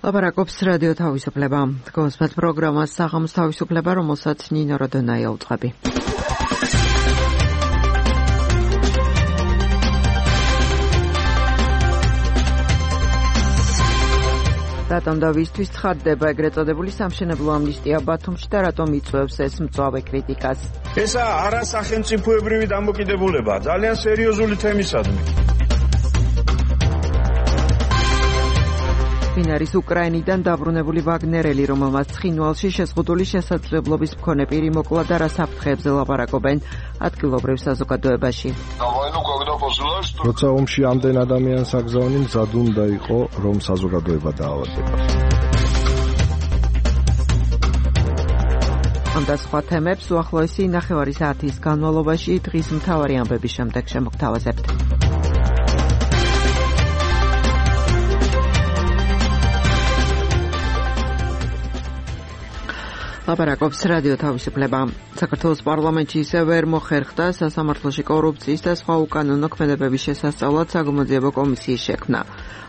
ლაპარაკობს რადიო თავისუფლება. გოსმეთ პროგრამას საღამოს თავისუფლება, რომელსაც ნინო როდონაია უწყები. რატომ და ვისთვის ცხადდება ეგრეთ წოდებული სამშენებლო ამნისტია ბათუმში და რატომ იწვევს ეს მწვავე კრიტიკას? ესა არასახელმწიფოებრივი დამოკიდებულებაა, ძალიან სერიოზული თემისადმი. ვინ არის უკრაინიდან დაბრუნებული ვაგნერელი, რომელმაც ცხინვალში შეზღუდული შესაძლებლობის მქონე პირი მოკლა და რა საფრთხეებზე ლაპარაკობენ ადგილობრივ საზოგადოებაში? როცა ომში ამდენ ადამიანს აგზავნი, მზად უნდა იყო, რომ საზოგადოება დაავადდება. ამ და სხვა თემებს უახლოესი ნახევარი საათის განმავლობაში დღის მთავარი ამბების შემდეგ შემოგთავაზებთ. ლაპარაკობს რადიო თავისუფლება. საქართველოს პარლამენტში ისევ ვერ მოხერხდა სასამართლოში კორუფციის და სხვა უკანონო ქმედებების შესასწავლად საგამოძიებო კომისიის შექმნა.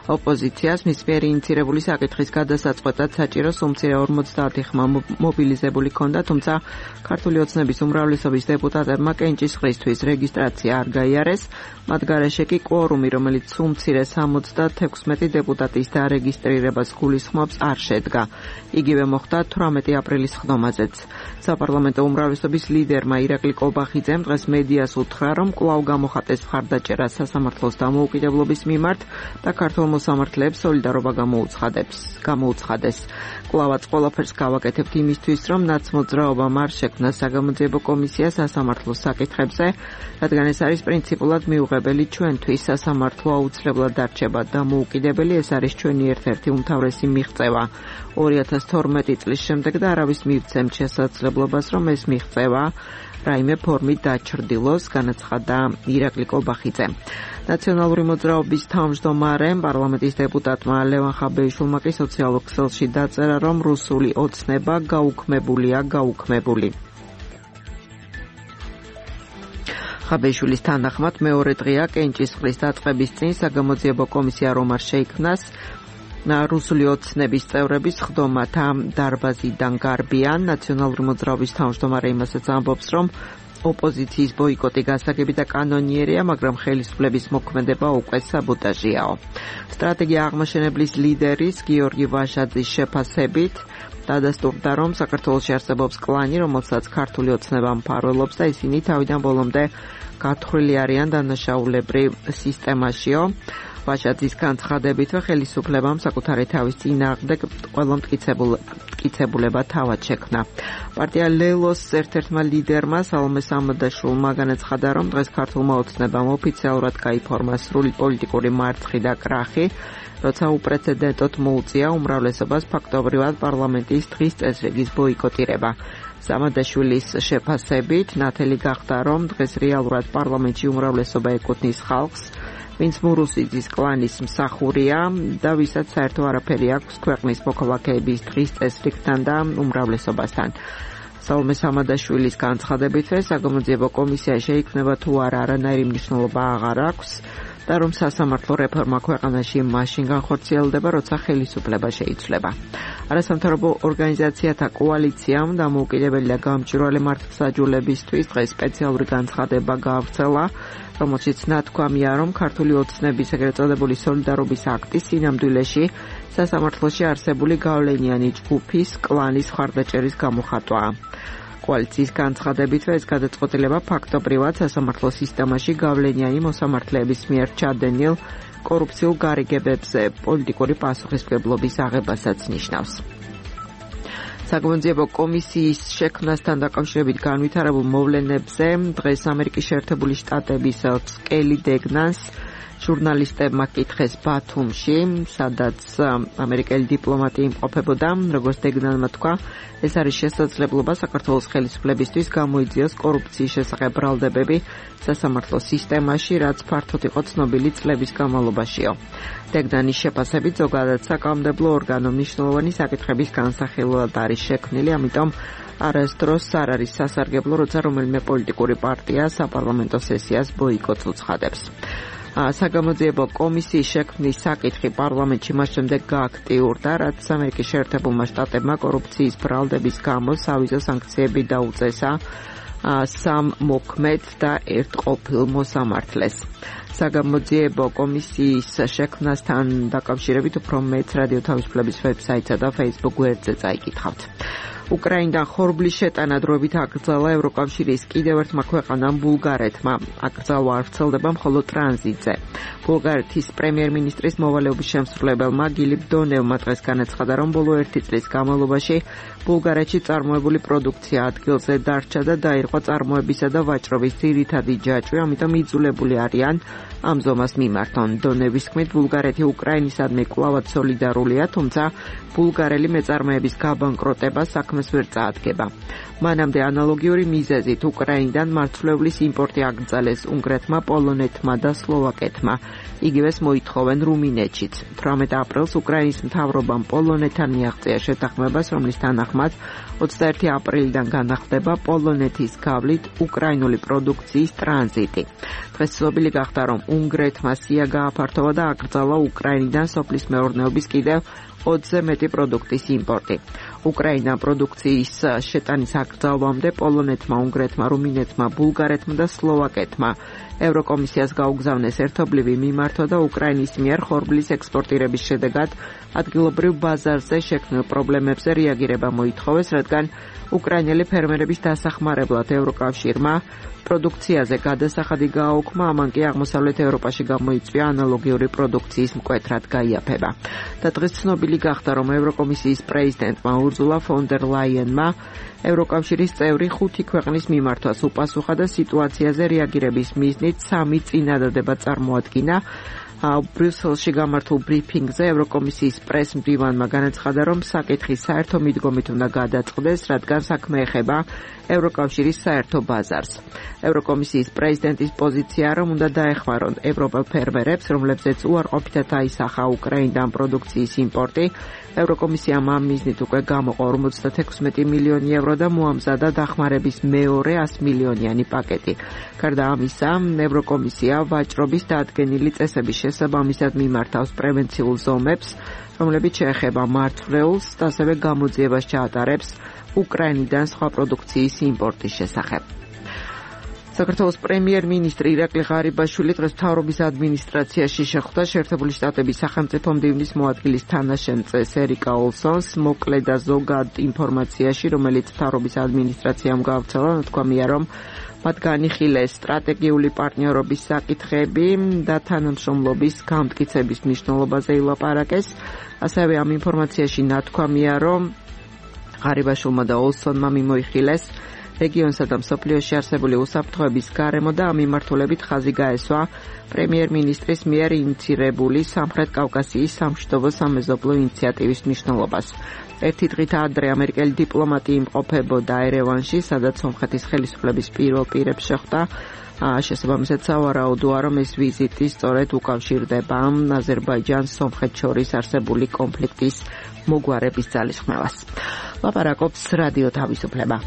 ოპოზიციას მის მიერ ინიცირებული საკითხის გადასაწყვეტად საჭირო სუმცირე 50 ხმა მობილიზებული ჰქონდა, თუმცა ქართული ოცნების უმრავლესობის დეპუტატებმა კენჭისყრისთვის რეგისტრაცია არ გაიარეს, მათ გარეშე კი კვორუმი, რომელიც სუმცირე 76 დეპუტატის დარეგისტრირებას გულისხმობს, არ შედგა. იგივე მოხდა 18 აპრილის ხდომაზეც. საპარლამენტო უმრავლესობის ლიდერმა ირაკლი კობახიძემ დღეს მედიას უთხრა, რომ კვლავ გამოხატეს მხარდაჭერა სასამართლოს დამოუკიდებლობის მიმართ და ქართულ მოსამართლეებს სოლიდარობა გამოუცხადეს. კვლავაც ყველაფერს გავაკეთებთ იმისთვის, რომ ნაცმოძრაობამ არ შექმნა საგამოძიებო კომისია სასამართლოს საკითხებზე, რადგან ეს არის პრინციპულად მიუღებელი ჩვენთვის. სასამართლო აუცილებლად დარჩება დამოუკიდებელი, ეს არის ჩვენი ერთ-ერთი უმთავრესი მიღწევა. 2012 წლის შემდეგ და არავის მივცემთ შესაძლებლობას, რომ ეს მიღწევა რაიმე ფორმით დაჩრდილოს, განაცხადა ირაკლი კობახიძე. ნაციონალური მოძრაობის თავმჯდომარემ პარლამენტის დეპუტატმა ლევან ხაბეიშვილმა კი სოციალურ ქსელში დაწერა, რომ რუსული ოცნება გაუქმებული. ხაბეიშვილის თანახმად მეორე დღეა კენჭისყრის დაწყების წინ საგამოძიებო კომისია რომ არ შეიქმნას, რუსული ოცნების წევრების ხდომათა დარბაზიდან გარბიან. ნაციონალური მოძრაობის თავმჯდომარე იმასაც ამბობს, რომ ოპოზიციის ბოიკოტი გასაგები და კანონიერია, მაგრამ ხელისუფლების მოქმედება უკვე საბოტაჟიაო. სტრატეგია აღმაშენებლის ლიდერის გიორგი ვაჟაძის შეფასებით დადასტურდა, რომ საქართველოში არსებობს კლანი, რომელსაც ქართული ოცნება მფარველობს და ისინი თავიდან ბოლომდე გათხრილი არიან დანაშაულებრივ სისტემაშიო. ვაჟაძის განცხადებითვე ხელისუფლებამ საკუთარი თავის წინააღმდეგ ყველა მტკიცებულება თავად შექმნა. პარტია ლელოს ერთ-ერთმა ლიდერმა სალომე სამადაშვილმა განაცხადა, რომ დღეს ქართულმა ოცნებამ ოფიციალურად გაიფორმა სრული პოლიტიკური მარცხი და კრახი, როცა უპრეცედენტოდ მოუწია უმრავლესობას ფაქტობრივად პარლამენტის დღის წესრიგის ბოიკოტირება. სამადაშვილის შეფასებით ნათელი გახდა, რომ დღეს რეალურად პარლამენტში უმრავლესობა ეკუთვნის ხალხს, ვინც მურუსიძის კლანის მსახურია და ვისაც საერთო არაფერი აქვს ქვეყნის მოქალაქეების დღის წესრიგთან და უმრავლესობასთან. სალომე სამადაშვილის განცხადებითვე საგამოძიებო კომისია შეიქმნება თუ არა არანაირი მნიშვნელობა აღარ აქვს და რომ სასამართლო რეფორმა ქვეყანაში მაშინ განხორციელდება, როცა ხელისუფლება შეიცვლება. არასამთავრობო ორგანიზაციათა კოალიციამ დამოუკიდებელი და გამჭვირვალე მართლმსაჯულებისთვის დღეს სპეციალური განცხადება გაავრცელა, რომელშიც ნათქვამია, რომ ქართული ოცნების ეგრეთ წოდებული სოლიდარობის აქტის სინამდვილეში სასამართლოში არსებული გავლენიანი ჯგუფის კლანის მხარდაჭერის გამოხატვაა. კოალიციის განცხადებითვე ეს გადაწყვეტილება ფაქტობრივად სასამართლო სისტემაში გავლენიანი მოსამართლეების მიერ ჩადენილ კორუფციულ გარიგებებზე პოლიტიკური პასუხისმგებლობის აღებასაც ნიშნავს. საგამოძიებო კომისიის შექმნასთან დაკავშირებით განვითარებულ მოვლენებზე დღეს ამერიკის შეერთებული შტატების სკელი დეგნანს ჟურნალისტებმა კითხეს ბათუმში, სადაც ამერიკელი დიპლომატი იმყოფებოდა. როგორც დეგნანმა თქვა, ეს არის შესაძლებლობა საქართველოს ხელისუფლებისთვის გამოიძიოს კორუფციის შესახებ ბრალდებები სასამართლო სისტემაში, რაც ფართოდ იყო ცნობილი წლების განმავლობაშიო. დეგნანის შეფასებით ზოგადად საკანონმდებლო ორგანო მნიშვნელოვანი საკითხების განსახილველად არის შექმნილი, ამიტომ არასდროს არ არის სასარგებლო, როცა რომელიმე პოლიტიკური პარტია საპარლამენტო სესიას ბოიკოტს უცხადებს. საგამოძიებო კომისიის შექმნის საკითხი პარლამენტში მას შემდეგ გააქტიურდა, რაც ამერიკის შეერთებულმა შტატებმა კორუფციის ბრალდების გამო სავიზო სანქციები დაუწესა 3 მოქმედ და 1 ყოფილ მოსამართლეს. საგამოძიებო კომისიის შექმნასთან დაკავშირებით უფრო მეტ რადიო თავისუფლების ვებსაიტსა და Facebook გვერდზე წაიკითხავთ. უკრაინიდან ხორბლის შეტანა დროებით აკრძალა ევროკავშირის კიდევ ერთმა ქვეყანამ ბულგარეთმა. აკრძალვა არ ვრცელდება მხოლოდ ტრანზიტზე. ბულგარეთის პრემიერ-მინისტრის მოვალეობის შემსრულებელმა გილიბ დონევმა დღეს განაცხადა, რომ ბოლო 1 წლის განმავლობაში ბულგარეთში წარმოებული პროდუქცია ადგილზე დარჩა და დაირღვა წარმოებისა და ვაჭრობის ძირითადი ჯაჭვი, ამიტომ იძულებული არიან ამ ზომას მიმართონ. დონევის თქმით, ბულგარეთი უკრაინისადმი კვლავად სოლიდარულია, თუმცა ბულგარელი მეწარმეების გაბანკროტება საქმეს ვერ წაადგება. მანამდე ანალოგიური მიზეზით უკრაინიდან მარცვლევლის იმპორტი აკრძალეს უნგრეთმა, პოლონეთმა და სლოვაკეთმა. იგივეს მოითხოვენ რუმინეთშიც. 18 აპრილს უკრაინის მთავრობამ პოლონეთთან მიაღწია შეთანხმებას, რომლის თანახმად 21 აპრილიდან განახდება პოლონეთის გავლით უკრაინული პროდუქციის ტრანზიტი. დღეს ცნობილი გახდა, რომ უნგრეთმა სია გააფართოვა და აკრძალა უკრაინიდან სოფლის მეურნეობის კიდევ 20-ზე მეტი პროდუქტის იმპორტი. უკრაინიდან პროდუქციის შეტანის აკრძალვამდე პოლონეთმა, უნგრეთმა, რუმინეთმა, ბულგარეთმა და სლოვაკეთმა ევროკომისიას გაუგზავნეს ერთობლივი მიმართვა და უკრაინის მიერ ხორბლის ექსპორტირების შედეგად ადგილობრივ ბაზარზე შექმნილ პრობლემებზე რეაგირება მოითხოვეს, რადგან უკრაინელი ფერმერების დასახმარებლად ევროკავშირმა პროდუქციაზე გადასახადი გააუქმა, ამან კი აღმოსავლეთ ევროპაში გამოიწვია ანალოგიური პროდუქციის მკვეთრად გაიაფება. და დღეს ცნობილი გახდა, რომ ევროკომისიის პრეზიდენტმა ურზულა ფონ დერ ლაიენმა ევროკავშირის წევრი 5 ქვეყნის მიმართვას უპასუხა და სიტუაციაზე რეაგირების მიზნით 3 წინადადება წარმოადგინა. ბრიუსელში გამართულ ბრიფინგზე ევროკომისიის პრეს-მდივანმა განაცხადა, რომ საკითხი საერთო მიდგომით უნდა გადაწყდეს, რადგან საქმე ეხება ევროკავშირის საერთო ბაზარს. ევროკომისიის პრეზიდენტის პოზიცია, რომ უნდა დაეხმარონ ევროპელ ფერმერებს, რომლებზეც უარყოფითად აისახა უკრაინიდან პროდუქციის იმპორტი. ევროკომისიამ ამ მიზნით უკვე გამოყო 56 მილიონი ევრო და მოამზადა დახმარების მეორე 100 მილიონიანი პაკეტი. გარდა ამისა, ევროკომისია ვაჭრობის დადგენილი წესების შესაბამისად მიმართავს პრევენციულ ზომებს, რომლებიც შეეხება მარცვლეულს და ასევე გამოძიებას ჩაატარებს უკრაინიდან სხვა პროდუქციის იმპორტის შესახებ. საქართველოს პრემიერ-მინისტრი ირაკლი ღარიბაშვილი დღეს მთავრობის ადმინისტრაციაში შეხვდა შეერთებული შტატების სახელმწიფო მდივნის მოადგილის თანაშემწეს ერიკა ოლსონს. მოკლე და ზოგად ინფორმაციაში, რომელიც მთავრობის ადმინისტრაციამ გავრცელა, ნათქვამია, რომ მათ განიხილეს სტრატეგიული პარტნიორობის საკითხები და თანამშრომლობის გამტკიცების მნიშვნელობაზე ილაპარაკეს. ასევე ამ ინფორმაციაში ნათქვამია, რომ ღარიბაშვილმა და ოლსონმა მიმოიხილეს რეგიონსა და მსოფლიოში არსებული უსაფრთხოების გარემო და ამ მიმართულებით ხაზი გაესვა პრემიერ-მინისტრის მიერ ინიცირებული სამხრეთ კავკასიის სამშვიდობო სამეზობლო ინიციატივის მნიშვნელობას. ერთი დღით ადრე ამერიკელი დიპლომატი იმყოფებოდა ერევანში, სადაც სომხეთის ხელისუფლების პირველ პირებს შეხვდა. შესაბამისად სავარაუდოა, რომ ეს ვიზიტი სწორედ უკავშირდება აზერბაიჯანს სომხეთს შორის არსებული კონფლიქტის მოგვარების ძალისხმევას. ლაპარაკობს რადიო თავისუფლება.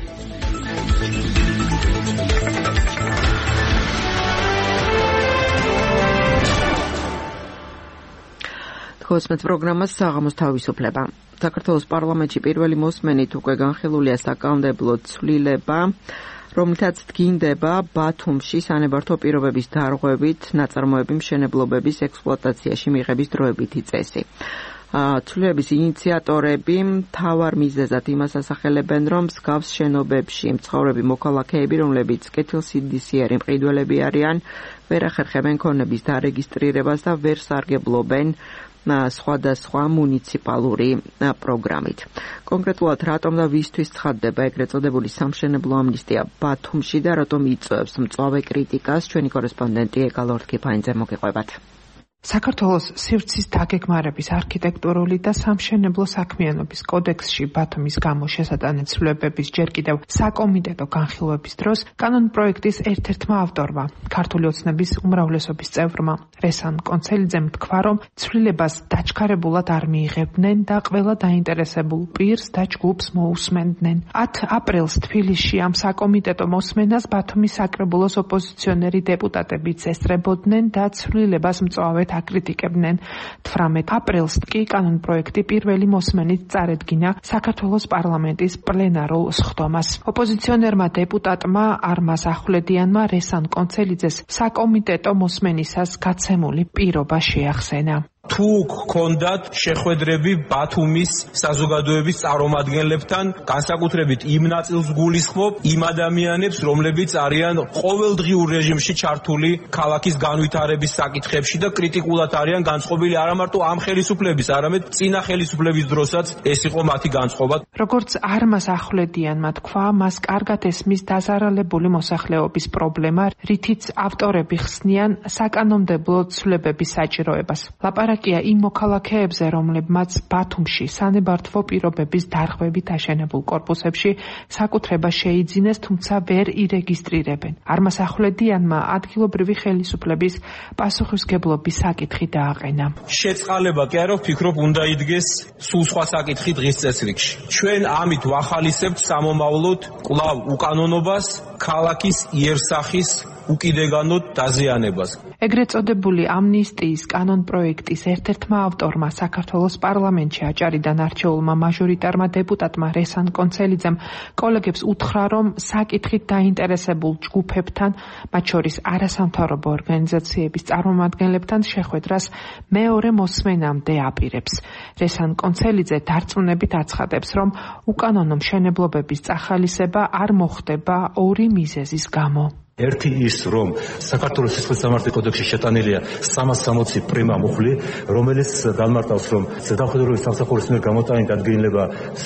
ხოსმეთ პროგრამას საღამოს თავისუფლება. საქართველოს პარლამენტში პირველი მოსმენით უკვე განხილულია საკანონმდებლო ცვლილება, რომლითაც დგინდება ბათუმში სანებართო პირობების დარღვევით ნაწარმოები მშენებლობების ექსპლუატაციაში მიღების დროებითი წესი. ცვლილების ინიციატორები მთავარ მიზეზად იმას ასახელებენ, რომ მსგავს შენობებში მცხოვრები მოქალაქეები, რომლებიც კეთილსინდისიერი მყიდველები არიან, ვერ ახერხებენ ქონების დარეგისტრირებას და ვერ სარგებლობენ სხვადასხვა მუნიციპალური პროგრამით. კონკრეტულად რატომ და ვისთვის ცხადდება ეგრეთ წოდებული სამშენებლო ამნისტია ბათუმში და რატომ იწვევს მწვავე კრიტიკას, ჩვენი კორესპონდენტი ეკალორთქიფაინძე მოგიყვებათ. საქართველოს სივრცის დაგეგმარების არქიტექტურული და სამშენებლო საქმიანობის კოდექსში ბათუმის გამო შესატანეთ ცვლილებების ჯერ კიდევ საკომიტეტო განხილვების დროს კანონპროექტის ერთ-ერთმა ავტორმა, ქართული ოცნების უმრავლესობის წევრმა რესან კონცელიძემ თქვა, რომ ცვლილებას დაჩქარებულად არ მიიღებდნენ და ყველა დაინტერესებულ პირს და ჯგუფს მოусმენდნენ. 10 აპრილს თბილისში ამ საკომიტეტო მოსმენას ბათუმის საკრებულოს ოპოზიციონერი დეპუტატებიც ესწრებოდნენ და ცვლილებას მწვავედ აკრიტიკებდნენ. 18 აპრილს კი კანონპროექტი პირველი მოსმენით წარედგინა საქართველოს პარლამენტის პლენარულ სხდომას. ოპოზიციონერმა დეპუტატმა არმაზ ახვლედიანმა რესან კონცელიძეს საკომიტეტო მოსმენისას გაცემული პირობა შეახსენა. თუ გქონდათ შეხვედრები ბათუმის საზოგადოების წარმომადგენლებთან, განსაკუთრებით იმ ნაწილს გულისხმობ, იმ ადამიანებს, რომლებიც არიან ყოველდღიურ რეჟიმში ჩართული ქალაქის განვითარების საკითხებში და კრიტიკულად არიან განწყობილი არა მარტო ამ ხელისუფლების, არამედ წინა ხელისუფლების დროსაც ეს იყო მათი განწყობა. როგორც არმაზ ახვლედიანმა თქვა, მას კარგად ესმის დაზარალებული მოსახლეობის პრობლემა, რითიც ავტორები ხსნიან საკანონმდებლო ცვლილებების საჭიროებას. ლაპარაკია იმ მოქალაქეებზე, რომლებმაც ბათუმში სანებართვო პირობების დარღვევით აშენებულ კორპუსებში საკუთრება შეიძინეს, თუმცა ვერ ირეგისტრირებენ. არმაზ ახვლედიანმა ადგილობრივი ხელისუფლების პასუხისმგებლობის საკითხი დააყენა. შეწყალება კი არა, ვფიქრობ, უნდა იდგეს სულ სხვა საკითხი დღის წესრიგში. ჩვენ ამით ვახალისებთ სამომავლოდ კვლავ უკანონობას, ქალაქის იერსახის უკიდეგანოდ დაზიანებას. ეგრეთ წოდებული ამნისტიის კანონპროექტის ერთ-ერთმა ავტორმა საქართველოს პარლამენტში აჭარიდან არჩეულმა მაჟორიტარმა დეპუტატმა რესან კონცელიძემ კოლეგებს უთხრა, რომ საკითხით დაინტერესებულ ჯგუფებთან, მათ შორის არასამთავრობო ორგანიზაციების წარმომადგენლებთან შეხვედრას მეორე მოსმენამდე აპირებს. რესან კონცელიძე დარწმუნებით აცხადებს, რომ უკანონო მშენებლობების წახალისება არ მოხდება ორი მიზეზის გამო. ერთი ის, რომ საქართველოს სისხლის სამართლის კოდექსში შეტანილია 360 პრიმა მუხლი, რომელიც განმარტავს, რომ ზედამხედველობის სამსახურის მიერ გამოტანილი დადგენილება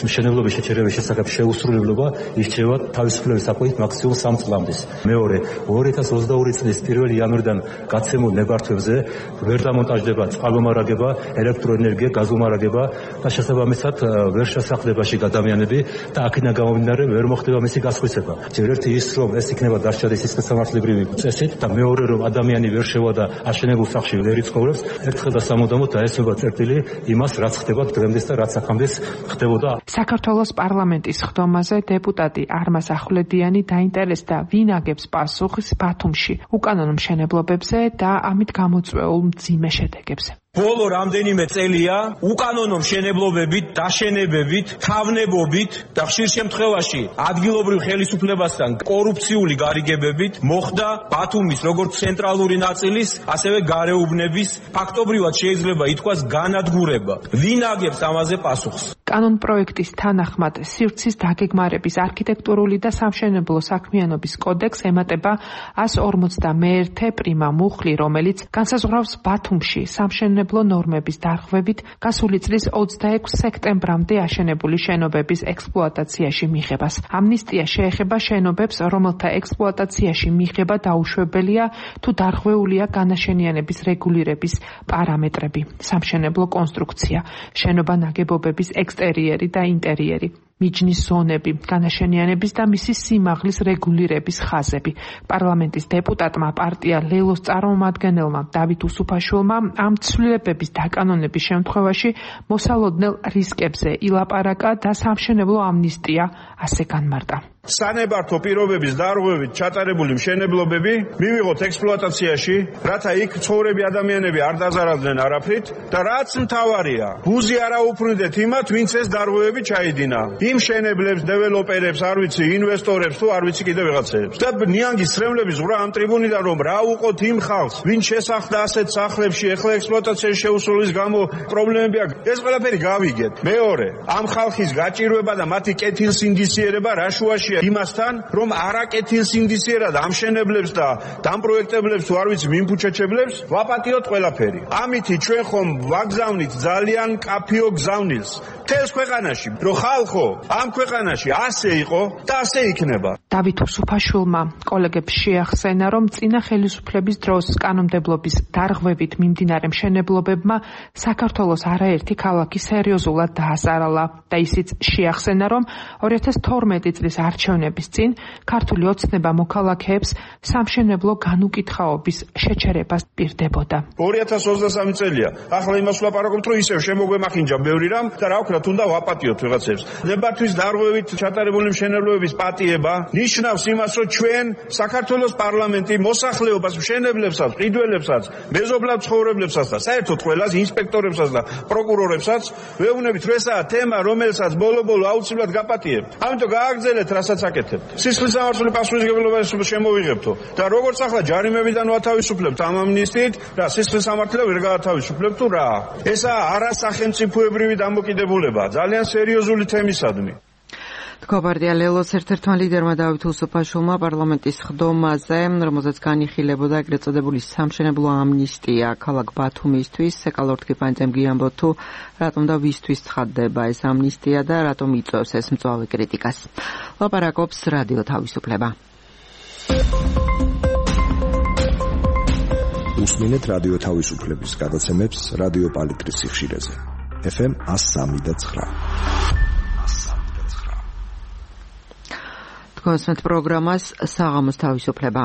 მშენებლობის შეჩერების შესახებ შეუსრულებლობა ირჩევა თავისუფლების საკვებით მაქსიმუმ 3 წლამდე. მეორე, 2022 წლის 1 იანვრიდან გაცემულ ნებართვებზე ვერ დამონტაჟდება წყალმომარაგება, ელექტროენერგია, გაზომარაგება და შესაბამისად ვერ შესახლებაში ადამიანები და აქედან გამომდინარე ვერ მოხდება მისი გასხვისება. ერთი ის, რომ ეს იქნება დარჩენის სამართლებრივი წესით და მეორე, რომ ადამიანი ვერ შევადა აშენებულ სახლში ვერ იცხოვრებს, ერთხელ და სამუდამოდ დაესწრება წერტილი იმას, რაც ხდება დღემდე და რაც აქამდე ხდებოდა. საქართველოს პარლამენტის სხდომაზე დეპუტატი არმაზ ახვლედიანი დაინტერესდა, ვინ აგებს პასუხს ბათუმში უკანონო მშენებლობებზე და ამით გამოწვეულ მძიმე შედეგებზე. ბოლო რამდენიმე წელია უკანონო მშენებლობებით, დაშენებებით, თავნებობით და ხშირ შემთხვევაში ადგილობრივ ხელისუფლებასთან კორუფციული გარიგებებით მოხდა ბათუმის როგორც ცენტრალური ნაწილის, ასევე გარეუბნების ფაქტობრივად შეიძლება ითქვას განადგურება. ვინ აგებს ამაზე პასუხს? კანონპროექტის თანახმად სივრცის დაგეგმარების არქიტექტურული და სამშენებლო საქმიანობის კოდექს ემატება 151 პრიმა მუხლი, რომელიც განსაზღვრავს ბათუმში სამშენებლო ნორმების დარღვევით გასული წლის 26 სექტემბრამდე აშენებული შენობების ექსპლუატაციაში მიღებას. ამნისტია შეეხება შენობებს, რომელთა ექსპლუატაციაში მიღება დაუშვებელია, თუ დარღვეულია განაშენიანების რეგულირების პარამეტრები, სამშენებლო კონსტრუქცია, შენობა ნაგებობების ექსტერიერი და ინტერიერი, მიჯნის ზონები, განაშენიანების და მისი სიმაღლის რეგულირების ხაზები. პარლამენტის დეპუტატმა პარტია ლელოს წარმომადგენელმა დავით უსუფაშვილმა ამ ცვლილებების დაკანონების შემთხვევაში მოსალოდნელ რისკებზე ილაპარაკა და სამშენებლო ამნისტია ასე განმარტა. სანებართვო პირობების დარღვევით ჩატარებული მშენებლობები მივიღოთ ექსპლუატაციაში, რათა იქ ცხოვრები ადამიანები არ დაზარალდნენ არაფრით და რაც მთავარია, გუზი არ აუფრინდეთ იმათ, ვინც ეს დარღვევები ჩაიდინა. იმ მშენებლებს, დეველოპერებს, არ ვიცი, ინვესტორებს თუ არ ვიცი კიდე ვიღაცებს. და ნიანგის სრემლების ზღვრა ამ ტრიბუნიდან, რომ რა უყოთ იმ ხალხს, ვინც შესახლდა ასეთ სახლებში, ეხლა ექსპლუატაციაში შეუსრულის გამო პრობლემები აქვს. ეს ყველაფერი გავიგეთ. მეორე, ამ ხალხის გაჭირვება და მათი კეთილსინდისიერება რა შუაშია მისია იმასთან, რომ არაკეთილს ინდიციერად ამშენებლებს და დამპროექტებლებს თუ არ ვიცი მიმფუჩეჩებლებს ვაპატიოთ ყველაფერი. ამითი ჩვენ ხომ ვაგზავნით ძალიან კაფიო გზავნილს მთელს ქვეყანაში, რომ ხალხო ამ ქვეყანაში ასე იყო და ასე იქნება. დავით უსუფაშვილმა კოლეგებს შეახსენა, რომ წინა ხელისუფლების დროს კანონმდებლობის დარღვევით მიმდინარე მშენებლობებმა საქართველოს არაერთი ქალაქი სერიოზულად დაასარალა და ისიც შეახსენა, რომ 2012 წლის არჩევნების წინ ქართული ოცნება მოქალაქეებს სამშენებლო განუკითხაობის შეჩერებას პირდებოდა. 2023 წელია. ახლა იმას ვლაპარაკობთ, რომ ისევ შემოგვემახინჯა ბევრი რამ და რა ვქნათ, უნდა ვაპატიოთ ვიღაცებს. ნებართვის დარღვევით ჩატარებული მშენებლობების პატიება ნიშნავს იმას, რომ ჩვენ საქართველოს პარლამენტი მოსახლეობას, მშენებლებსაც, ყიდველებსაც, მეზობლად ცხოვრებლებსაც და საერთოდ ყველას ინსპექტორებსაც და პროკურორებსაც ვეუბნებით, რომ ესაა თემა, რომელსაც ბოლო-ბოლო აუცილებლად გაპატიებთ. ამიტომ გააგრძელეთ, რასაც აკეთებთ. სისხლის სამართლიანი პასუხისმგებლობა შემოვიღებთო და როგორც ახლა ჯარიმებიდან ვათავისუფლებთ ამ ამნისტიით და სისხლის სამართლია ვერ გაათავისუფლებთ თუ რა. ესაა არასახელმწიფოებრივი დამოკიდებულება ძალიან სერიოზული თემისადმი. თქობარდია ლელოს ერთ-ერთმა ლიდერმა დავით უსუფაშვილმა პარლამენტის ხდომაზე, რომელზეც განიხილებოდა ეგრეთ წოდებული სამშენებლო ამნისტია ქალაქ ბათუმისთვის, ეკალორთქიფანძემ გიამბო თუ რატომ და ვისთვის ცხადდება ეს ამნისტია და რატომ იწვევს ეს მწვავე კრიტიკას. ლაპარაკობს რადიო თავისუფლება. უსმინეთ რადიო თავისუფლების გადაცემებს რადიო პალიტრის სიხშირეზე. FM 103.9. თქვენს პროგრამას საღამოს თავისუფლება.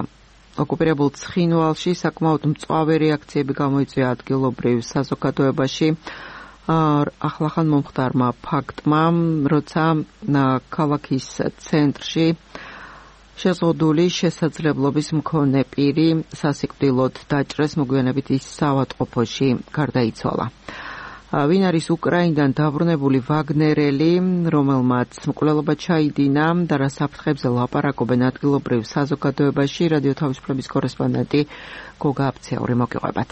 ოკუპირებულ ცხინვალში საკმაოდ მწვავე რეაქციები გამოიწვია ადგილობრივ საზოგადოებაში. ახლახან მომხდარმა ფაქტმა, როცა ქალაქის ცენტრში შეზღუდული შესაძლებლობის მქონე პირი სასიკვდილოდ დაჭრეს, მოგვიანებით ის საავადმყოფოში გარდაიცვალა. ვინ არის უკრაინიდან დაბრუნებული ვაგნერელი, რომელმაც მკვლელობა ჩაიდინა და რა საფრთხებზე ლაპარაკობენ ადგილობრივ საზოგადოებაში, რადიო თავისუფლების კორესპონდენტი გოგა აფციური მოგიყვებათ.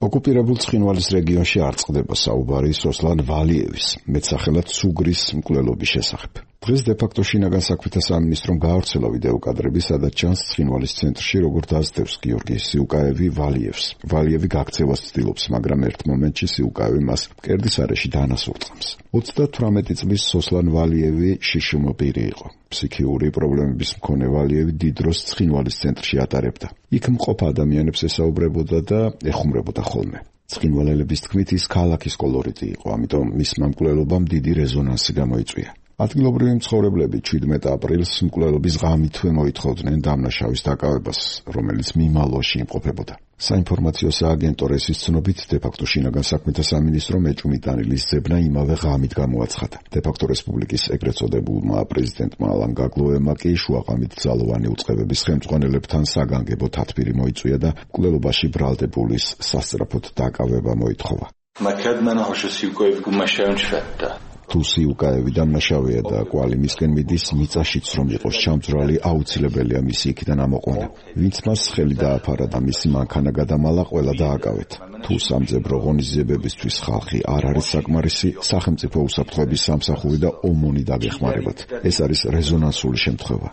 ოკუპირებულ ცხინვალის რეგიონში არ წყდება საუბარი სოსლან ვალიევის, მეტსახელად სუგრის მკვლელობის შესახებ. დღეს დე-ფაქტო შინაგან საქმეთა სამინისტრომ გაავრცელა ვიდეო კადრები, სადაც ჩანს ცხინვალის ცენტრში როგორ დაძდევს გიორგი სიუკაევი ვალიევს. ვალიევი გაქცევას ცდილობს, მაგრამ ერთ მომენტში სიუკაევი მას მკერდის არეში დანასურწამს. 38 წლის სოსლან ვალიევი შიშუმო პირი იყო. ფსიქიური პრობლემების მქონე ვალიევი დიდ დროს ცხინვალის ცენტრში ატარებდა. იქ მყოფ ადამიანებს ესაუბრებოდა და ეხუმრებოდა ხოლმე. ცხინვალელების თქმით, ის ქალაქის კოლორიტი იყო, ამიტომ მისმა მკვლელობამ დიდი რეზონანსი გამოიწვია. ადგილობრივი მცხოვრებლები 17 აპრილს მკვლელობის ღამითვე მოითხოვდნენ დამნაშავის დაკავებას, რომელიც მიმალოში იმყოფებოდა. საინფორმაციო სააგენტო რესის ცნობით, დე-ფაქტო შინაგან საქმეთა სამინისტრომ ეჭვმიტანილის ძებნა იმავე ღამით გამოაცხადა. დე-ფაქტო რესპუბლიკის ეგრეთ წოდებულმა პრეზიდენტმა ალან გაგლოემმა კი შუაღამით ძალოვანი უწყებების ხელმძღვანელებთან საგანგებო თათბირი მოიწვია და მკვლელობაში ბრალდებულის სასწრაფოდ დაკავება მოითხოვა. თუ სიუკაევი დამნაშავეა და კვალი მისკენ მიდის, მიწაშიც რომ იყოს ჩამძვრალი, აუცილებელია მისი იქიდან ამოყვანა. ვინც მას ხელი დააფარა და მისი მანქანა გადამალა, ყველა დააკავეთ. თუ სამძებრო ღონისძიებებისთვის ხალხი არ არის საკმარისი, სახელმწიფო უსაფრთხოების სამსახური და ომონი დაგეხმარებათ. ეს არის რეზონანსული შემთხვევა.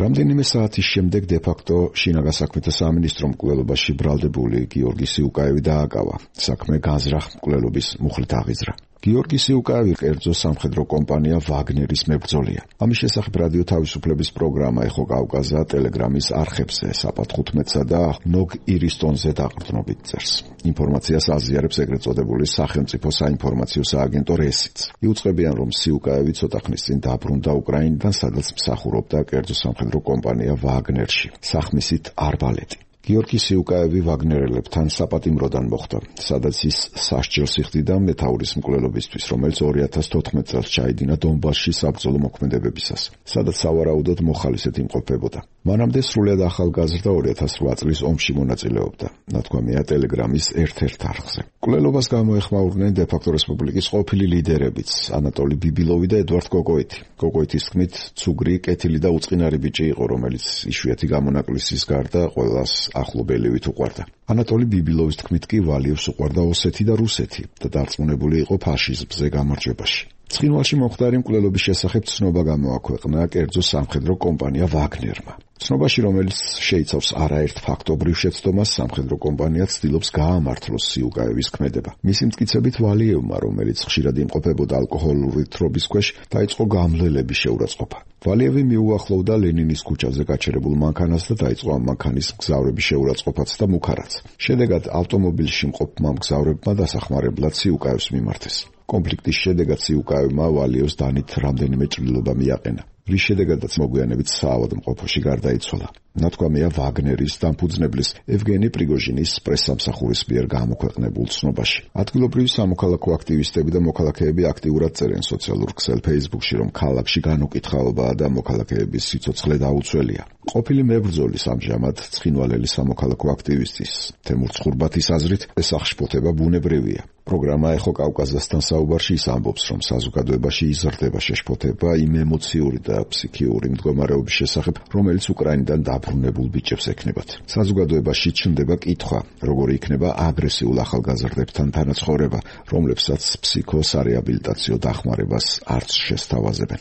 რამდენიმე საათის შემდეგ დე-ფაქტო შინაგან საქმეთა სამინისტრომ მკვლელობაში ბრალდებული გიორგი სიუკაევი დააკავა. საქმე განზრახ მკვლელობის მუხლით აღიძრა. გიორგი სიუკაევი კერძო სამხედრო კომპანია ვაგნერის მებრძოლია. ამის შესახებ რადიო თავისუფლების პროგრამა ეხო კავკაზა ტელეგრამის არხებზე საპატ 15-სა და ნოგ ირისტონზე დაყრდნობით წერს. ინფორმაციას აზიარებს ეგრეთ წოდებული სახელმწიფო საინფორმაციო სააგენტო რესიც. იუწყებიან, რომ სიუკაევი ცოტა ხნის წინ დაბრუნდა უკრაინიდან, სადაც მსახურობდა კერძო სამხედრო კომპანია ვაგნერში. სახმისით არბალეტი. გიორგი სიუკაევი ვაგნერელებთან საპატიმროდან მოხვდა, სადაც ის სასჯელს იხდიდა მეთაურის მკვლელობისთვის, რომელიც 2014 წელს ჩაიდინა დონბასში საბრძოლო მოქმედებებისას, სადაც სავარაუდოდ მოხალისედ იმყოფებოდა. მანამდე სრულად ახალგაზრდა 2008 წლის ომში მონაწილეობდა, ნათქვამია ტელეგრამის ერთ-ერთ არხზე. მკვლელობას გამოეხმაურნენ დე-ფაქტო რესპუბლიკის ყოფილი ლიდერებიც, ანატოლი ბიბილოვი და ედვარდ კოკოიტი. კოკოიტის თქმით, ცუგრი, კეთილი და უწყინარი ბიჭი იყო, რომელიც იშვიათი გამონაკლისის გარდა ყველას ახლობელივით უყვარდა. ანატოლი ბიბილოვის თქმით კი ვალიევს უყვარდა ოსეთი და რუსეთი და დარწმუნებული იყო ფაშიზმზე გამარჯვებაში. ცხინვალში მომხდარი მკვლელობის შესახებ ცნობა გამოაქვეყნა კერძო სამხედრო კომპანია ვაგნერმა. ცნობაში, რომელიც შეიცავს არაერთ ფაქტობრივ შეცდომას, სამხედრო კომპანია ცდილობს გაამართლოს სიუკაევის ქმედება. მისი მტკიცებით, ვალიევმა, რომელიც ხშირად იმყოფებოდა ალკოჰოლური თრობის ქვეშ, დაიწყო გამლელების შეურაცხყოფა. ვალიევი მიუახლოვდა ლენინის ქუჩაზე გაჩერებულ მანქანას და დაიწყო ამ მანქანის მგზავრების შეურაცხყოფაც და მუქარაც. შედეგად ავტომობილში მყოფმა მგზავრებმა დასახმარებლად სიუკაევს მიმართეს. კონფლიქტის შედეგად სიუკაევმა ვალიევს დანით რამდენიმე ჭრილობა მიაყენა, რის შედეგადაც მოგვიანებით საავადმყოფოში გარდაიცვალა. ნათქვამია ვაგნერის დამფუძნებლის ევგენი პრიგოჟინის პრესსამსახურის მიერ გამოქვეყნებულ ცნობაში. ადგილობრივი სამოქალაქო აქტივისტები და მოქალაქეები აქტიურად წერენ სოციალურ ქსელ Facebook-ში, რომ ქალაქში განუკითხაობაა და მოქალაქეების სიცოცხლე დაუცველია. ყოფილი მებრძოლის ამჟამად ცხინვალელი სამოქალაქო აქტივისტის თემურ ცხურბათის აზრით ეს აღშფოთება ბუნებრივია. პროგრამა ეხო კავკასიასთან საუბარში ის ამბობს, რომ საზოგადოებაში იზრდება შეშფოთება იმ ემოციური და ფსიქიური მდგომარეობის შესახებ, რომელიც უკრაინიდან დაბრუნებულ ბიჭებს ექნებათ. საზოგადოებაში ჩნდება კითხვა, როგორი იქნება აგრესიულ ახალგაზრდებთან თანაცხოვრება, რომლებსაც ფსიქოსარეაბილიტაციო დახმარებას არც შესთავაზებენ.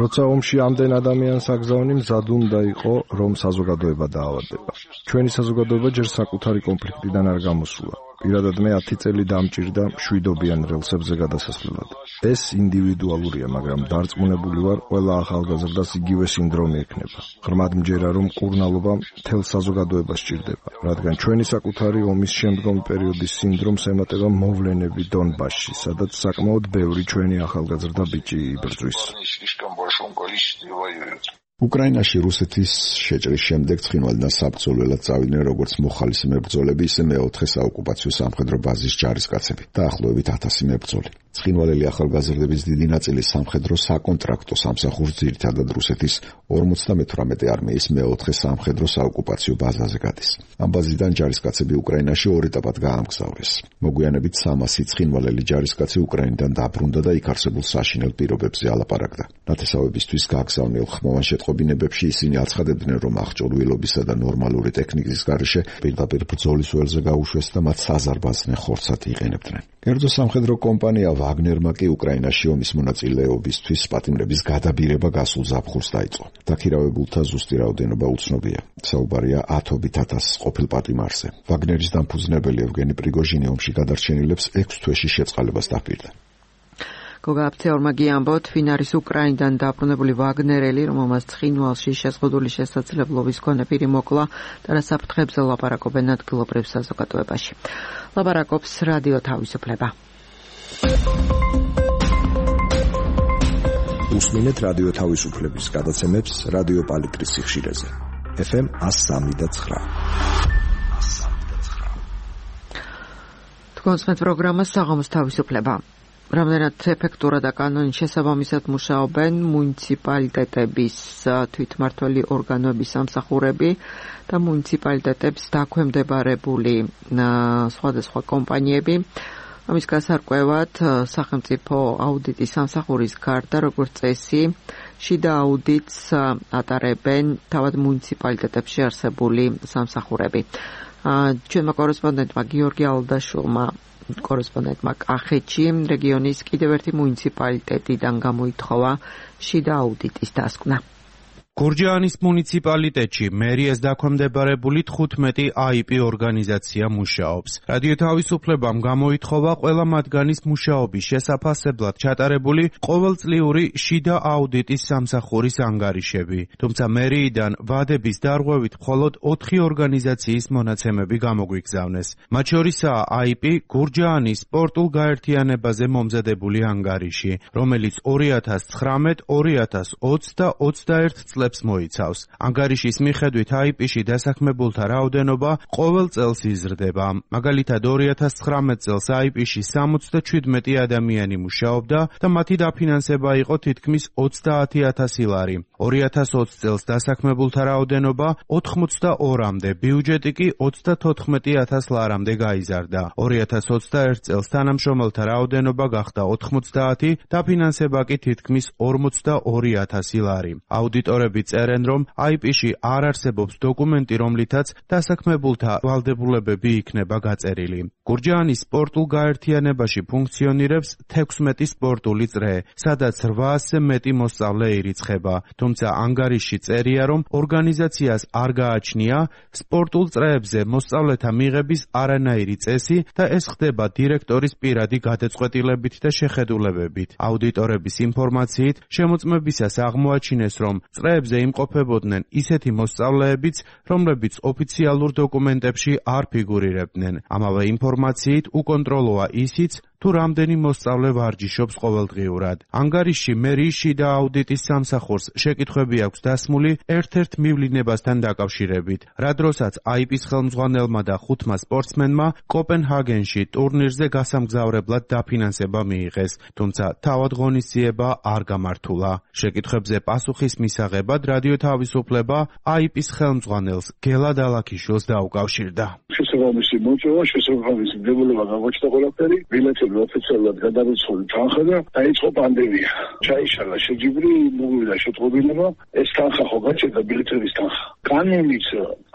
როცა ომში ამდენ ადამიანს აგზავნი, მზად უნდა იყო, რომ საზოგადოება დაავადდება. ჩვენი საზოგადოება ჯერ საკუთარი კონფლიქტიდან არ გამოსულა. პირადად მე 10 წელი დამჭირდა მშვიდობიან რელსებზე გადასასვლელად. ეს ინდივიდუალურია, მაგრამ დარწმუნებული ვარ, ყველა ახალგაზრდას იგივე სინდრომი ექნება. ღრმად მჯერა, რომ მკურნალობა მთელ საზოგადოებას სჭირდება, რადგან ჩვენი საკუთარი ომის შემდგომი პერიოდის სინდრომს ემატება მოვლენები დონბასში, სადაც საკმაოდ ბევრი ჩვენი ახალგაზრდა ბიჭი იბრძვის. უკრაინაში რუსეთის შეჭრის შემდეგ ცხინვალიდან საბრძოლველად წავიდნენ როგორც მოხალისე მებრძოლები, ისე მეოთხე საოკუპაციო სამხედრო ბაზის ჯარისკაცები, დაახლოებით 1000 მებრძოლი. ცხინვალელი ახალგაზრდების დიდი ნაწილი სამხედრო საკონტრაქტო სამსახურს ძირითადად რუსეთის 58 არმიის მეოთხე სამხედრო საოკუპაციო ბაზაზე გადის. ამ ბაზიდან ჯარისკაცები უკრაინაში 2 ეტაპად გაამგზავრეს. მოგვიანებით 300 ცხინვალელი ჯარისკაცი უკრაინიდან დაბრუნდა და იქ არსებულ საშინელ პირობებზე ალაპარაკდა. ნათესავებისთვის გაგზავნილ ხმოვან შეტყობინებებში ისინი აცხადებდნენ, რომ აღჭურვილობისა და ნორმალური ტექნიკის გარეშე პირდაპირ ბრძოლის ველზე გაუშვეს და მათ საზარბაზნე ხორცად იყენებდნენ. კერძო სამხედრო კომპანია ვაგნერმა კი უკრაინაში ომის მონაწილეობისთვის პატიმრების გადაბირება გასულ ზაფხულს დაიწყო. დაქირავებულთა ზუსტი რაოდენობა უცნობია. საუბარია 10,000 ყოფილ პატიმარზე. ვაგნერის დამფუძნებელი ევგენი პრიგოჟინი ომში გადარჩენილებს 6 თვეში შეწყალებას დაპირდა. გოგა აფცეორმა გიამბოთ, ვინ არის უკრაინიდან დაბრუნებული ვაგნერელი, რომელმაც ცხინვალში შეზღუდული შესაძლებლობის მქონე პირი მოკლა და რა საფრთხებზე ლაპარაკობენ ადგილობრივ საზოგადოებაში. ლაპარაკობს რადიო თავისუფლება. უსმინეთ რადიო თავისუფლების გადაცემებს რადიო პალიტრის სიხშირეზე. FM 103.9. თქვენს პროგრამას საღამოს თავისუფლება. რამდენად ეფექტურად და კანონის შესაბამისად მუშაობენ მუნიციპალიტეტების თვითმმართველი ორგანოების სამსახურები და მუნიციპალიტეტებს დაქვემდებარებული სხვადასხვა კომპანიები. ამის გასარკვევად სახელმწიფო აუდიტის სამსახურის გარდა, როგორც წესი, შიდა აუდიტს ატარებენ თავად მუნიციპალიტეტებში არსებული სამსახურები. ჩვენმა კორესპონდენტმა გიორგი ალდაშულმა კორესპონდენტმა კახეთში რეგიონის კიდევ ერთი მუნიციპალიტეტიდან გამოითხოვა შიდა აუდიტის დასკვნა. გურჯაანის მუნიციპალიტეტში მერიას დაქვემდებარებული 15 IP ორგანიზაცია მუშაობს. რადიო თავისუფლებამ გამოითხოვა ყველა მათგანის მუშაობის შესაფასებლად ჩატარებული ყოველწლიური შიდა აუდიტის სამსახურის ანგარიშები. თუმცა მერიიდან ვადების დარღვევით მხოლოდ 4 ორგანიზაციის მონაცემები გამოგვიგზავნეს. მათ შორისაა IP გურჯაანის სპორტულ გაერთიანებაზე მომზადებული ანგარიში, რომელიც 2019, 2020 და 21 წლებს მოიცავს. ანგარიშის მიხედვით IP-ში დასაქმებულთა რაოდენობა ყოველ წელს იზრდება. მაგალითად 2019 წელს IP-ში 77 ადამიანი მუშაობდა და მათი დაფინანსება იყო თითქმის 30,000 ლარი. 2020 წელს დასაქმებულთა რაოდენობა 82-მდე, ბიუჯეტი კი 34,000 ლარამდე გაიზარდა. 2021 წელს თანამშრომელთა რაოდენობა გახდა 90, დაფინანსება კი თითქმის 42,000 ლარი. აუდიტორები მიღებულები წერენ, რომ IP-ში არ არსებობს დოკუმენტი, რომლითაც დასაქმებულთა ვალდებულებები იქნება გაწერილი. გურჯაანის სპორტულ გაერთიანებაში ფუნქციონირებს 16 სპორტული წრე, სადაც 800-ზე მეტი მოსწავლე ირიცხება. თუმცა ანგარიშში წერია, რომ ორგანიზაციას არ გააჩნია სპორტულ წრეებზე მოსწავლეთა მიღების არანაირი წესი და ეს ხდება დირექტორის პირადი გადაწყვეტილებით და შეხედულებებით. აუდიტორების ინფორმაციით, შემოწმებისას აღმოაჩინეს, რომ წრეებზე იმყოფებოდნენ ისეთი მოსწავლეებიც, რომლებიც ოფიციალურ დოკუმენტებში არ ფიგურირებდნენ. ამავე ინფორმაციით უკონტროლოა ისიც, თუ რამდენი მოსწავლე ვარჯიშობს ყოველდღიურად. ანგარიშში მერიის შიდა აუდიტის სამსახურს შეკითხვები აქვს დასმული ერთ-ერთ მივლინებასთან დაკავშირებით, რა დროსაც IP-ის ხელმძღვანელმა და 5 სპორტსმენმა კოპენჰაგენში ტურნირზე გასამგზავრებლად დაფინანსება მიიღეს, თუმცა თავად ღონისძიება არ გამართულა. შეკითხვებზე პასუხის მისაღებად რადიო თავისუფლება IP-ის ხელმძღვანელს გელად ალაქიშვილს დაუკავშირდა. შესაბამისი მოწვევა, შესაბამისი დებულება გამოჩნდა ყველაფერი, ბილეთები ოფიციალურად გადარიცხული თანხა და დაიწყო პანდემია. ჩაიშალა შეჯიბრი, მოვიდა შეტყობინება, ეს თანხა ხო გაჩერდა ბილეთების თანხა. კანონით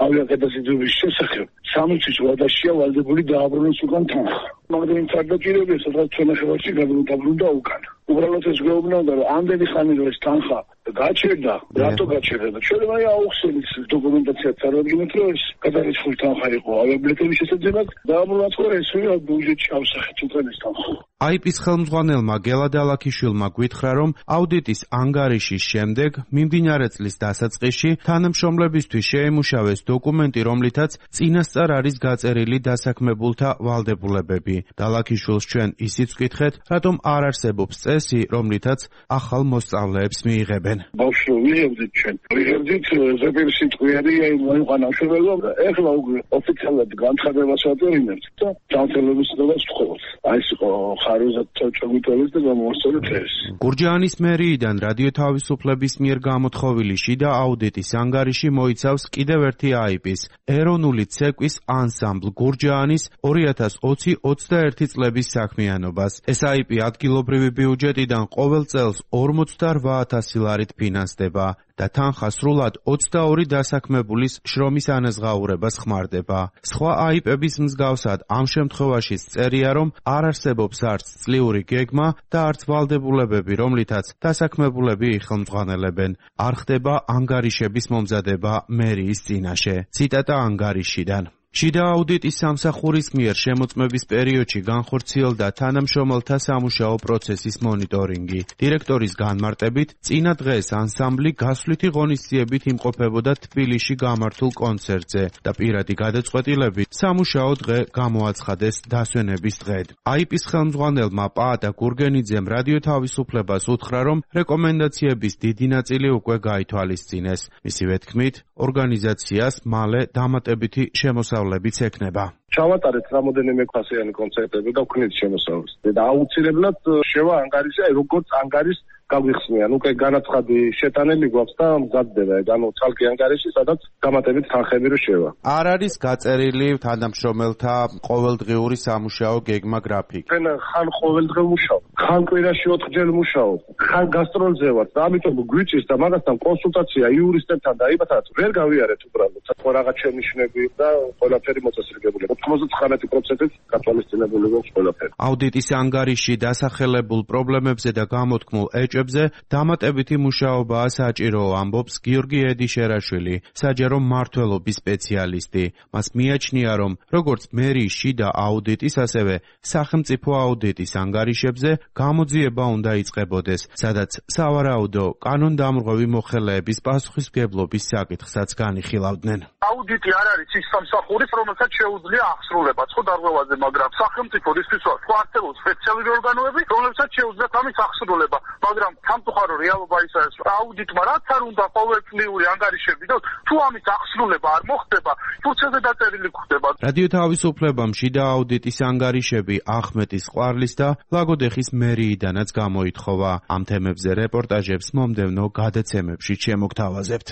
ავიაკატასტროფის შესახებ 60 წლადაშია ვალდებული დააბრუნოს უკან თანხა. მაგრამ თავდაპირველად სადღაც ჩვენახევარში გადაუბრუნდა უკან. უბრალოდ ეს გვეუბნებოდა, რომ ამდენი ხანი რომ ეს თანხა გაჩერდა, რატო გაჩერდა და ჩვენ აი აუხსენით დოკუმენტაციას წარადგინეთ, რომ ეს გადარიცხული თანხა იყო ავიაბილეთების შესაძლებლად დააბრუნოს ხო ეს ბიუჯეტში ავსახეთ უკან ეს თანხა. IP-ის ხელმძღვანელმა გელად ალაქიშვილმა გვითხრა, რომ აუდიტის ანგარიშის შემდეგ მიმდინარე წლის დასაწყისში თანამშრომლებისთვის შეემუშავეს დოკუმენტი, რომლითაც წინასწარ არის გაწერილი დასაქმებულთა ვალდებულებები. ალაქიშვილს ჩვენ ისიც ვკითხეთ, რატომ არ არსებობს წესი, რომლითაც ახალ მოსწავლეებს მიიღებენ. ბავშვი ვიღებდით ჩვენ. ვიღებდით ზეპირი სიტყვიერი მოიყვანა მშობელობა, ეხლა უკვე ოფიციალურად განცხადებას ვაწერინებთ და დამცველობის ცნობას ვთხოვთ. აი ეს იყო ხარიზად ჩაგვიტოვეს და გამოვასწორეთ ეს. გურჯაანის მერიიდან რადიო თავისუფლების მიერ გამოთხოვილი შიდა აუდიტის ანგარიში მოიცავს კიდევ ერთი IP-ის ეროვნული ცეკვის ანსამბლ გურჯაანის 2020-21 წლების საქმიანობას. ეს IP ადგილობრივი ბიუჯეტიდან ყოველ წელს 48,000 ლარით ფინანსდება და თანხა სრულად 22 დასაქმებულის შრომის ანაზღაურებას ხმარდება. სხვა IP-ების მსგავსად ამ შემთხვევაშიც წერია, რომ არ არსებობს არც წლიური გეგმა და არც ვალდებულებები, რომლითაც დასაქმებულები იხელმძღვანელებენ. არ ხდება ანგარიშების მომზადება მერიის წინაშე. ციტატა ანგარიშიდან. შიდა აუდიტის სამსახურის მიერ შემოწმების პერიოდში განხორციელდა თანამშრომელთა სამუშაო პროცესის მონიტორინგი. დირექტორის განმარტებით, წინა დღეს ანსამბლი გასვლითი ღონისძიებით იმყოფებოდა თბილისში გამართულ კონცერტზე და პირადი გადაწყვეტილებით სამუშაო დღე გამოაცხადეს დასვენების დღედ. IP-ის ხელმძღვანელმა პაატა გურგენიძემ რადიო თავისუფლებას უთხრა, რომ რეკომენდაციების დიდი ნაწილი უკვე გაითვალისწინეს. მისივე თქმით, ორგანიზაციას მალე დამატებითი შემოსავლებიც ექნება. ჩავატარეთ რამოდენიმე ფასიანი კონცერტები და ვქნით შემოსავალს. და აუცილებლად შევა ანგარიში, როგორც ანგარის გაგვიხსნიან. უკვე განაცხადი შეტანილი გვაქვს და მზადდება. ანუ ცალკე ანგარიში, სადაც დამატებით თანხები რო შევა. არ არის გაწერილი თანამშრომელთა ყოველდღიური სამუშაო გეგმა გრაფიკი. ხან ყოველდღე მუშაობ, ხან კვირაში 4 ჯერ მუშაობ, ხან გასტროლზე ვარ და ამიტომ გვიჭირს და მაგასთან კონსულტაცია იურისტებთან და იმათაც ვერ გავიარეთ უბრალოდ. ხო რაღაც შენიშვნები და ყველაფერი მოწესრიგებული. 99% გათვალისწინებული გვაქვს ყველაფერი. აუდიტის ანგარიში დასახელებულ პრობლემებზე და გამოთქმულ ეჭვებზე დამატებითი მუშაობაა საჭირო, ამბობს გიორგი ედიშერაშვილი, საჯარო მმართველობის სპეციალისტი. მას მიაჩნია, რომ როგორც მერიის შიდა აუდიტის, ასევე სახელმწიფო აუდიტის ანგარიშებზე გამოძიება უნდა იწყებოდეს, სადაც სავარაუდო კანონდამრღვევი მოხელეების პასუხისმგებლობის საკითხსაც განიხილავდნენ. აუდიტი არ არის ის სამსახურის, რომელსაც შეუძლია აღსრულება ხო დარღვევაზე, მაგრამ სახელმწიფო რისთვის ხო არსებობს სპეციალური ორგანოები, რომლებსაც შეუძლიათ ამის აღსრულება, მაგრამ სამწუხარო რეალობა ისაა, რომ აუდიტმა რაც არ უნდა ყოველწლიური ანგარიშები და თუ ამის აღსრულება არ მოხდება, პროცესზე დაწერილი გვხდება. რადიო თავისუფლებამ შიდა აუდიტის ანგარიშები ახმეტის ყვარლის და ლაგოდეხის მერიიდანაც გამოითხოვა. ამ თემებზე რეპორტაჟებს მომდევნო გადაცემებში შემოგთავაზებთ.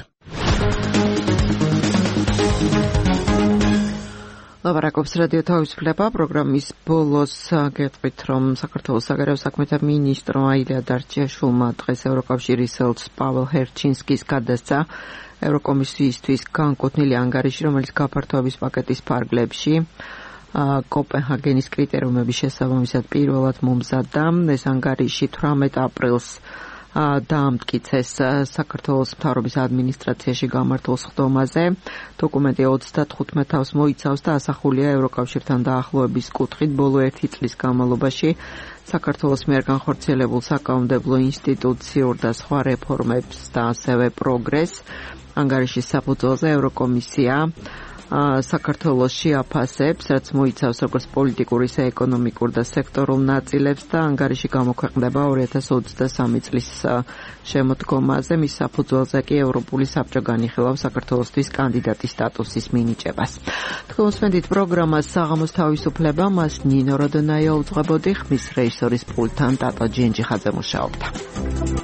ლაპარაკობს რადიო თავისუფლება პროგრამის ბოლოს გეტყვით, რომ საქართველოს საგარეო საქმეთა მინისტრმა აილია დარჩიაშვილმა დღეს ევროკავშირის ელჩ პაველ ჰერჩინსკის გადასცა ევროკომისიისთვის განკუთვნილი ანგარიში, რომელიც გაფართოების პაკეტის ფარგლებში კოპენჰაგენის კრიტერიუმების შესაბამისად პირველად მომზადდა. ეს ანგარიში 18 აპრილს დაამტკიცეს საქართველოს მთავრობის ადმინისტრაციაში გამართულ სხდომაზე. დოკუმენტი 35 თავს მოიცავს და ასახულია ევროკავშირთან დაახლოების კუთხით ბოლო 1 წლის განმავლობაში საქართველოს მიერ განხორციელებულ საკანონმდებლო ინსტიტუციურ და სხვა რეფორმებს და ასევე პროგრესს. ანგარიშის საფუძველზე ევროკომისია საქართველოს შეაფასებს, რაც მოიცავს როგორც პოლიტიკურ, ისე ეკონომიკურ და სექტორულ ნაწილებს და ანგარიში გამოქვეყნდება 2023 წლის შემოდგომაზე. მის საფუძველზე კი ევროპული საბჭო განიხილავს საქართველოსთვის კანდიდატის სტატუსის მინიჭებას. თქვენსმენდით პროგრამას საღამოს თავისუფლება, მას ნინო როდონაია უძღვებოდი, ხმის რეჟისორის პულტთან ტატო ჯინჯიხაძე მუშაობდა.